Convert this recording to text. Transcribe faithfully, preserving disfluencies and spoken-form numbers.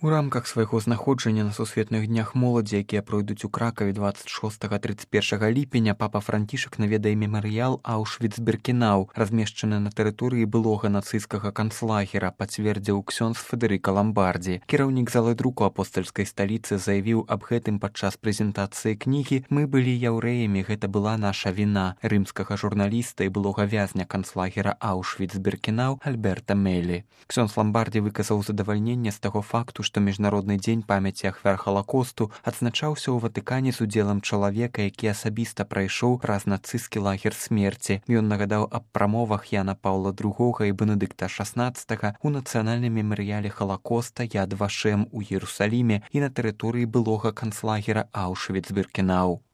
У рамках свайго знаходжання на сусветных днях моладзі, якія пройдуць у Кракаве дваццаць шостага - трыццаць першага ліпеня, папа Францішак наведае мемарыял Аўшвіц-Біркенау, размешчаны на тэрыторыі былога нацысцкага канцлагера, пацвердзіў ксёндз Федэрыка Ламбардзі. Кіраўнік залы друку апостальскай сталіцы заявіў аб гэтым падчас прэзентацыі кнігі «Мы былі яўрэямі, гэта была наша віна» рымскага журналіста і былога вязня канцлагера Аўшвіц-Біркенау Альберта Мелі. Ксёндз Ламбардзі выказаў задавальненне з таго факту, што міжнародны дзень памяці ахвяр Халакосту адзначаўся ў Ватыкане з удзелам чалавека, які асабіста прайшоў праз нацысцкі лагер смерці. Ён нагадаў аб прамовах Яна Паўла другога і Бенедыкта шаснаццатага у нацыянальным мемарыяле Халакоста Яд Вашем у Іерусаліме і на тэрыторыі былога канцлагера Аўшвіц-Біркенау.